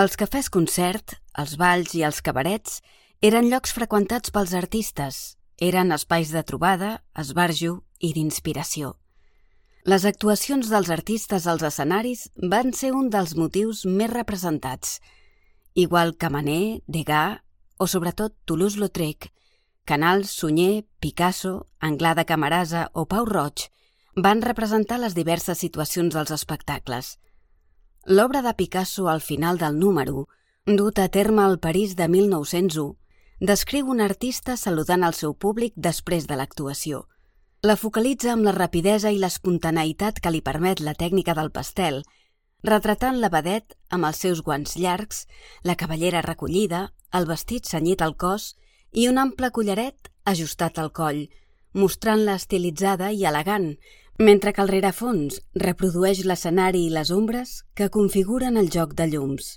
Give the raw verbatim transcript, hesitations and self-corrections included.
Els cafès concert, els balls i els cabarets eren llocs freqüentats pels artistes, eren espais de trobada, esbarjo i d'inspiració. Les actuacions dels artistes als escenaris van ser un dels motius més representats, igual que Manet, Degas o sobretot Toulouse-Lautrec, Canals, Sunyer, Picasso, Anglada Camarasa o Pau Roig van representar les diverses situacions dels espectacles. L'obra de Picasso al final del número, dut a terme al París de mil nou-cents u, descriu un artista saludant el seu públic després de l'actuació. La focalitza amb la rapidesa i l'espontaneïtat que li permet la tècnica del pastel, retratant la vedet amb els seus guants llargs, la cabellera recollida, el vestit cenyit al cos i un ample collaret ajustat al coll, mostrant-la estilitzada i elegant, mentre que el rerefons reprodueix l'escenari i les ombres que configuren el joc de llums.